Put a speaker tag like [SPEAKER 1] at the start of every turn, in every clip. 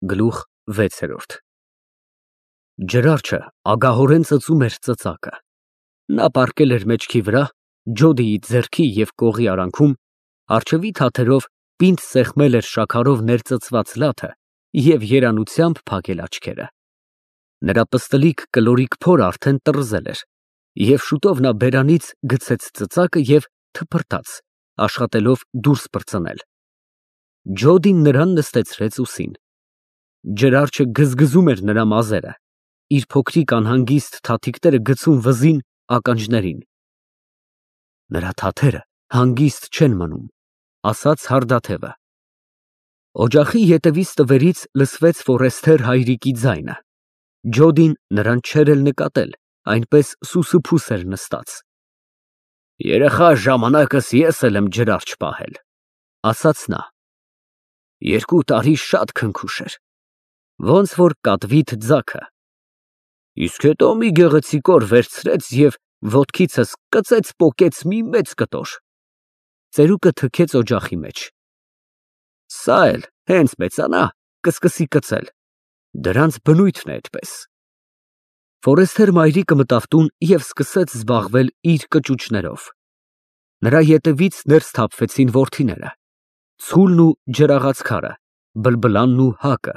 [SPEAKER 1] Գլուխ 6 Ջրարչը ագահորեն ծծում էր ծծակը։ Նա պառկել էր մեջքի վրա, ջոդիի ձեռքի և կողի արանքում, առջևի թաթերով պինդ սեղմել էր շաքարով ներծծված լաթը և երանությամբ փակել աչքերը։ Նրա պստլիկ կլորիկ փորը արդեն տռզել էր, և շուտով նա բերանից գցեց ծծակը և թփրտաց, աշխատելով դուրս պրծնել։ Ջոդին նրան նստեցրեց ուսին։ Ջրարչը գզգզում էր նրա մազերը, իր փոքրիկ անհանգիստ թաթիկները գցում վզին, ականջներին։ Նրա թաթերը հանգիստ չեն մնում, ասաց հարդաթևը։ Օջախի ետևից տվերից լսվեց Ֆորեսթեր հայրիկի ձայնը։ Ջոդին նրան չէր էլ նկատել, այնպես սուսուփուս էր նստած։ Երեխա ժամանակս ես էլ եմ ջրարջ պահել, ասաց նա։ 2 տարի շատ քնքուշ էր, ոնց որ կատվիթ ձագը։ Իսկ հետո մի գեղեցիկ օր վերցրեց և ոտքիցս կծեց֊պոկեց մի մեծ կտոր։ Ծերուկը թքեց օջախի մեջ։ Սա էլ հենց մեծանա, կսկսի կծել, դրանց բնույթն է այդպես։ Ֆորեսթեր մայրիկը մտավ տուն և սկսեց զբաղվել իր կճուճներով։ Նրա ետևից ներս թափվեցին որդիները, Ցուլն ու ջրաղացքարը, Բլբլանն ու Հակը,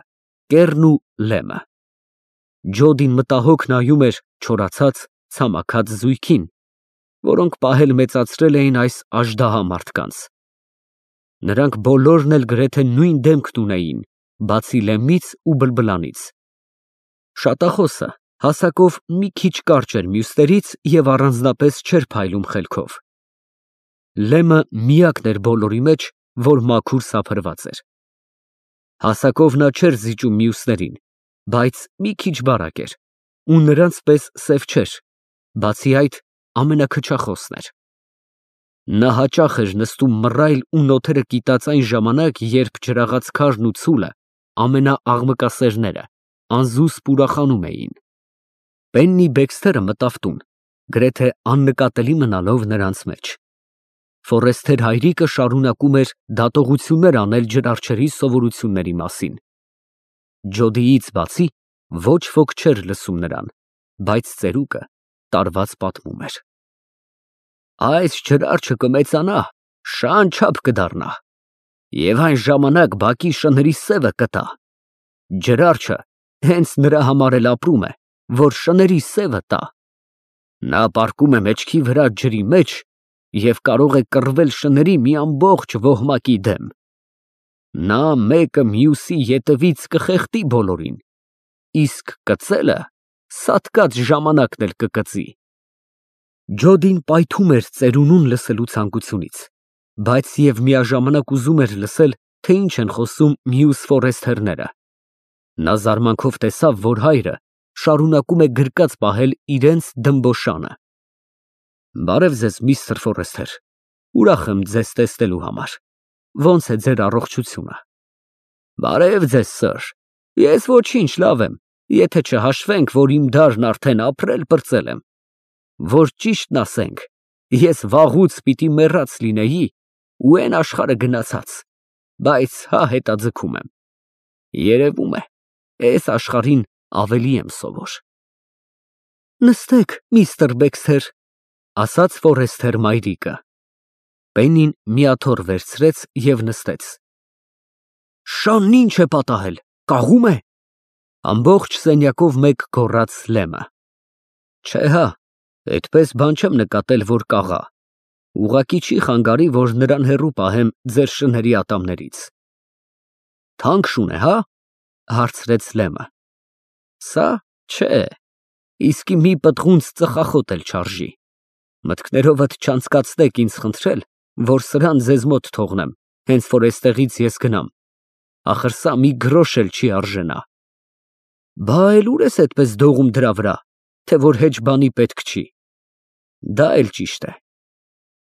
[SPEAKER 1] Կեռն ու Լեմը։ Ջոդին մտահոգ նայում էր չորացած, ցամաքած զույգին, որոնք պահել֊մեծացրել էին այս աժդահա մարդկանց։ Նրանք բոլորն էլ գրեթե նույն դեմքն ունեին, բացի Լեմից ու Բլբլանից։ Շատախոսը հասակով մի քիչ կարճ էր մյուսներից և առանձնապես չէր փայլում խելքով։ Լեմը միակն էր բոլորի մեջ, որ մաքուր սափրված էր։ Հասակով նա չէր զիջում մյուսներին, բայց մի քիչ բարակ էր, ու նրանց պես սև չէր, բացի այդ, ամենաքչախոսն էր։ Նա հաճախ էր նստում մռայլ ու նոթերը կիտած այն ժամանակ, երբ ջրաղացքարն ու ցուլը, ամենաաղմկասերները, անզուսպ ուրախանում էին։ Պեննի Բեքսթերը մտավ տուն, գրեթե աննկատելի մնալով նրանց մեջ։ Ֆորեսթեր հայրիկը շարունակում էր դատողություններ անել ջրարչերի սովորությունների մասին։ Ջոդիից բացի ոչ ոք չէր լսում նրան, բայց ծերուկը տարված պատմում էր։ Այս ջրարչը կմեծանա, շան չափ կդառնա, և այն ժամանակ բակի շների սևը կտա։ Ջրարչը հենց նրա համար էլ ապրում է, որ շների սևը տա։ Նա պառկում է մեջքի վրա ջրի մեջ և կարող է կռվել շների մի ամբողջ ոհմակի դեմ։ Նա մեկը մյուսի ետևից կխեղդի բոլորին, իսկ կծելը սատկած ժամանակն էլ կկծի։ Ջոդին պայթում էր ծերունուն լսելու ցանկությունից, բայց և միաժամանակ ուզում էր լսել, թե ինչ են խոսում մյուս Ֆորեսթերները։ Նա զարմանքով տեսավ, որ հայրը շարունակում է գրկած պահել իրենց դմբոշանը։ Բարև ձեզ, միստր Ֆորեսթեր, ուրախ եմ ձեզ տեսնելու համար, ո՞նց է ձեր առողջությունը։ Բարև ձեզ, սըր, ես ոչինչ, լավ եմ, եթե չհաշվենք, որ իմ դարն արդեն ապրել֊պրծել եմ։ Որ ճիշտն ասենք, ես վաղուց պիտի մեռած լինեի ու էն աշխարհը գնացած, բայց հա հետաձգում եմ։ Երևում է, էս աշխարհին ավելի եմ սովոր։ Նստեք, միստր Բեքսթեր, ասաց Ֆորեսթեր մայրիկը։ Պեննին մի աթոռ վերցրեց և նստեց։ Շանն ինչ է պատահել, կաղու՞մ է։ Ամբողջ սենյակով մեկ գոռաց Լեմը։ Չէ հա, այդպես բան չեմ նկատել, որ կաղա։ Ուղղակի չի խանգարի, որ նրան հեռու պահեմ ձեր շների ատամներից։ Թանկ շուն է, հա, հարցրեց Լեմը։ Սա չէ, իսկի մի պտղունց ծխախոտ էլ չարժի։ Մտքներովդ չանցկացնեք ինձ խնդրել, որ սրան ձեզ մոտ թողնեմ, հենց որ էստեղից ես գնամ, ախր սա մի գրոշ էլ չի արժենա։ Բա էլ ուր ես այդպես դողում դրա վրա, թե որ հեչ բանի պետք չի։ Դա էլ ճիշտ է։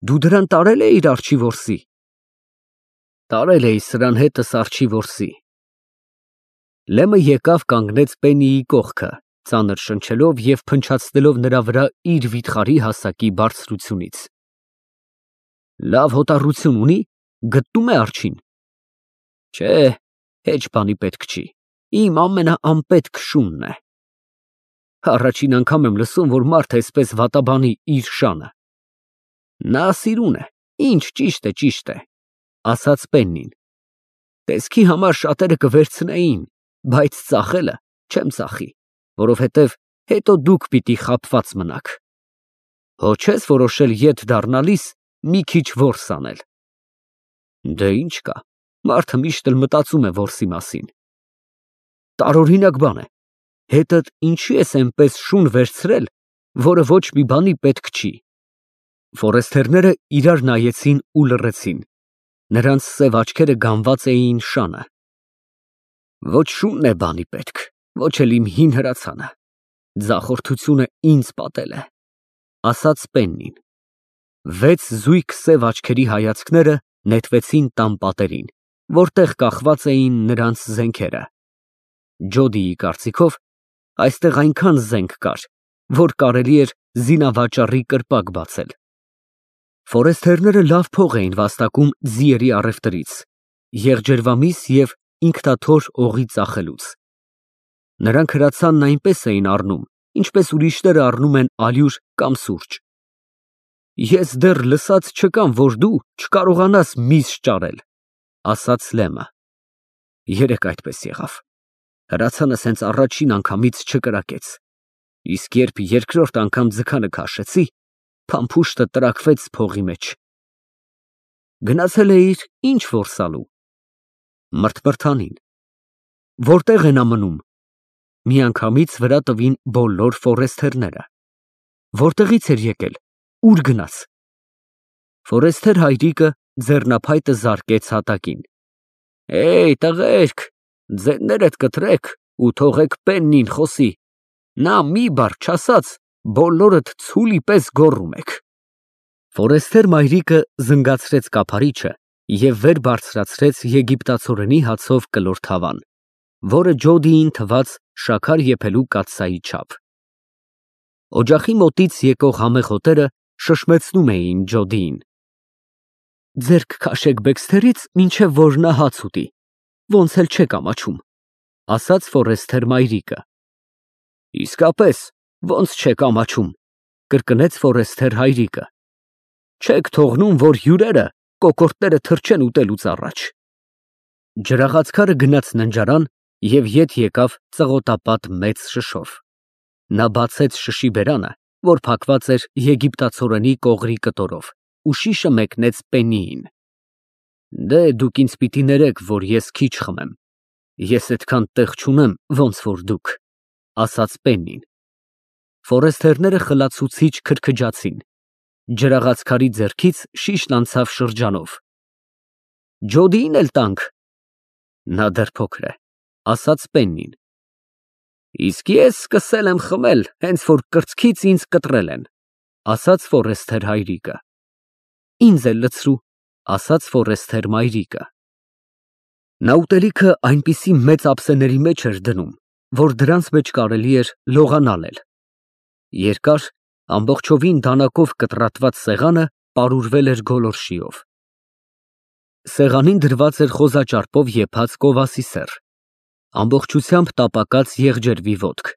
[SPEAKER 1] Դու դրան տարել էիր արջի որսի։ Տարել էի սրան հետս արջի որսի։ Լեմը եկավ կանգնեց Պեննիի կողքը, ծանր շնչելով և փնչացնելով նրա վրա իր վիթխարի հասակի բարձրությունից։ Լավ հոտառություն ունի, գտնում է արջին։ Չէ, հեչ բանի պետք չի, իմ ամենաանպետք շունն է։ Առաջին անգամ եմ լսում, որ մարդ այսպես վատաբանի իր շանը։ Նա սիրուն է, ինչ ճիշտ է, ասաց Պեննին։ Տեսքի համար շատերը կվերցնեին, բայց ծախելը չեմ ծախի, որովհետև հետո դուք պիտի խաբված մնաք։ Հո չես որոշել ետ դառնալիս մի քիչ որս անել։ Դե ինչ կա, մարդը միշտ էլ մտածում է որսի մասին։ Տարօրինակ բան է, հետդ ինչի ես այնպես շուն վերցրել, որը ոչ մի բանի պետք չի։ Ֆորեստերները իրար նայեցին ու լռեցին, նրանց սև աչքերը գանված էին շանը։ Ոչ շունն է բանի պետք, ոչ էլ իմ հին հրացանը, ձախորդությունը ինձ պատել է, ասաց Պեննին։ 6 զույգ սև աչքերի հայացքները նետվեցին տան պատերին, որտեղ կախված էին նրանց զենքերը։ Ջոդիի կարծիքով այստեղ այնքան զենք կար, որ կարելի էր զինավաճառի կրպակ բացել։ Ֆորեստերները լավ փող էին վաստակում ձիերի առևտրից, եղջերվամիս և ինքնաթոռ օղի ծախելուց։ Նրանք հրացանն այնպես էին առնում, ինչպես ուրիշները առնում են ալյուր կամ սուրճ։ Ես դեռ լսած չկամ, որ դու չկարողանաս միս ճարել, ասաց Լեմը։ Երեկ այդպես եղավ։ Հրացանս հենց առաջին անգամից չկրակեց, իսկ երբ երկրորդ անգամ ձգանը քաշեցի, փամփուշտը տրաքվեց փողի մեջ։ Գնացել էիր ինչ որսալու։ Մրթմրթանին։ Որտեղ են մնում։ Միանգամից վրա տվին բոլոր ֆորեստերները։ Որտեղից էր եկել, ուր գնաց։ Ֆորեստեր հայրիկը ձեռնափայտը զարկեց հատակին։ Տղերք, ձեններդ կտրեք ու թողեք Պեննին խոսի։ Նա մի բառ չասած, բոլորդ ցուլի պես գոռում եք։ Ֆորեստեր մայրիկը զնգացրեց կափարիչը և վեր բարձրացրեց եգիպտացորենի հացով կլոր թավան, որը Ջոդիին թվաց շաքար եփելու կաթսայի չափ։ Օջախի մոտից եկող համեղ հոտերը շշմեցնում էին Ջոդիին։ Ձեռք քաշեք Բեքսթերից, մինչև որ նա հաց ուտի, ոնց էլ չեք ամաչում, ասաց Ֆորեստեր մայրիկը։ Իսկապես, ոնց չեք ամաչում, կրկնեց Ֆորեստեր հայրիկը։ Չեք թողնում, որ հյուրերը կոկորդները թրջեն ուտելուց առաջ։ Ջրաղացքարը գնաց ննջարան և ետ եկավ ծղոտապատ մեծ շշով։ Նա բացեց շշի բերանը, որ փակված էր եգիպտացորենի կողրի կտորով, ու շիշը մեկնեց Պեննիին։ Դե դուք ինձ պիտի ներեք, որ ես քիչ խմեմ։ Ես այդքան տեղ չունեմ, ոնց որ դուք, ասաց Պեննին։ Ֆորեստերները խլացուցիչ քրքջացին։ Ջրաղացքարի ձեռքից շիշն անցավ շրջանով։ Ջոդիին էլ տանք։ Նա դեռ փոքր է, ասաց Պեննին։ Իսկ ես սկսել եմ խմել, հենց որ կրծքից ինձ կտրել են, ասաց Ֆորեստեր հայրիկը։ Ինձ էլ լցրու, ասաց Ֆորեստեր մայրիկը։ Նա ուտելիքը այնպիսի մեծ ափսեների մեջ էր դնում, որ դրանց մեջ կարելի էր լողանալ։ Երկար, ամբողջովին դանակով կտրատված սեղանը պարուրվել էր գոլորշիով։ Սեղանին դրված էր խոզաճարպով եփած կովասի սեռ, ամբողջությամբ տապակած եղջերվի ոտք,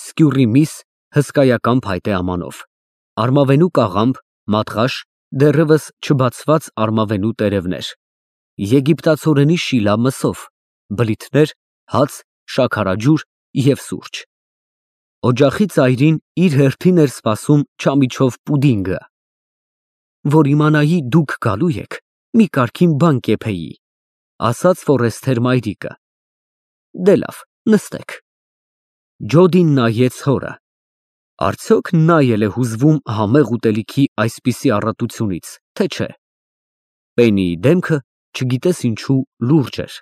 [SPEAKER 1] սկյուռի միս հսկայական փայտե ամանով, արմավենու կաղամբ, մատղաշ, դեռևս չբացված արմավենու տերևներ, եգիպտացորենի շիլա մսով, բլիթներ, հաց, շաքարաջուր և սուրճ։ Օջախի ծայրին իր հերթին էր սպասում չամիչով պուդինգը։ Որ իմանայի դուք գալու եք, մի կարգին բան կեփեի, ասաց Ֆորեստեր մայրիկը։ Դե լավ, նստեք։ Ջոդին նայեց հորը։ Արդյոք նա էլ է հուզվում համեղ ուտելիքի այսպիսի առատությունից, թե չէ։ Պեննիի դեմքը, չգիտես ինչու, լուրջ էր։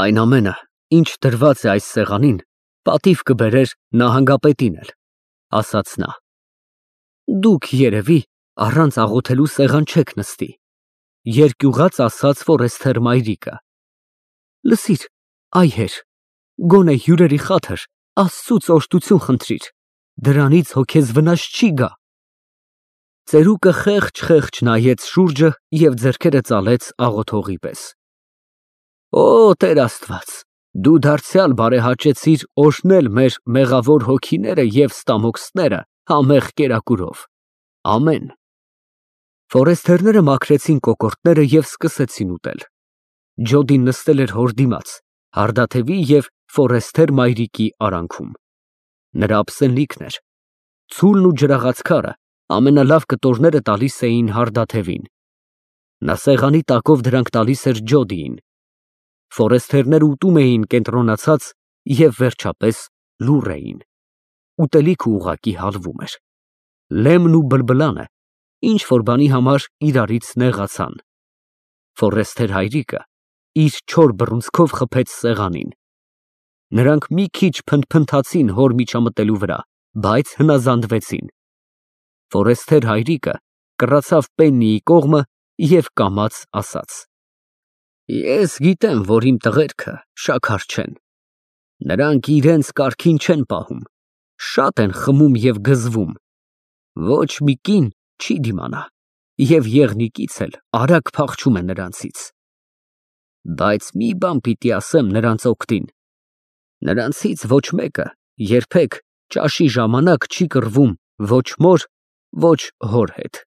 [SPEAKER 1] Այն ամենը, ինչ դրված է այս սեղանին, պատիվ կբերեր նահանգապետին էլ, ասաց նա։ Դուք երևի առանց աղոթելու սեղան չեք նստի, երկյուղած ասաց Ֆորեստեր մայրիկը։ Լսիր, այ հեր, գոնե հյուրերի խաթր Աստծուց օժտություն խնդրիր, դրանից հո քեզ վնաս չի գա։ Ծերուկը խեղճ նայեց շուրջը և ձեռքերը ծալեց աղոթողի պես։ Օ, Տեր Աստված, Դու դարձյալ բարեհաճեցիր օրհնել մեր մեղավոր հոգիները և ստամոքսները համեղ կերակուրով։ Ամեն։ Ֆորեստերները մաքրեցին կոկորդները և սկսեցին ուտել։ Ջոդին նստել էր հոր դիմաց, հարդաթևի և ֆորեստեր մայրիկի արանքում։ Նրա ափսենլիքն էր։ Ցուլն ու ջրաղաց քարը ամենալավ կտորները տալիս էին հարդաթևին։ Նա սեղանի տակով դրանք տալիս էր Ջոդիին։ Ֆորեստերները ուտում էին կենտրոնացած և, վերջապես, լուռ էին։ Ուտելիքը ուղղակի հալվում էր։ Լեմն ու բլբլանը ինչ֊որ բանի համար իրարից նեղացան։ Ֆորեստեր հայրիկը իր չոր բռունցքով խփեց սեղանին։ Նրանք մի քիչ փնթփնթացին հոր միջամտելու վրա, բայց հնազանդվեցին։ Ֆորեստեր հայրիկը կռացավ Պեննիի կողմը և կամաց ասաց. Ես գիտեմ, որ իմ տղերքը շաքար չեն։ Նրանք իրենց կարգին չեն պահում, շատ են խմում և գզվում։ Ոչ մի կին չի դիմանա, և եղնիկից էլ արագ փախչում է նրանցից։ Բայց մի բան պիտի ասեմ նրանց օգտին. նրանցից ոչ մեկը երբեք ճաշի ժամանակ չի կռվում ոչ մոր, ոչ հոր հետ։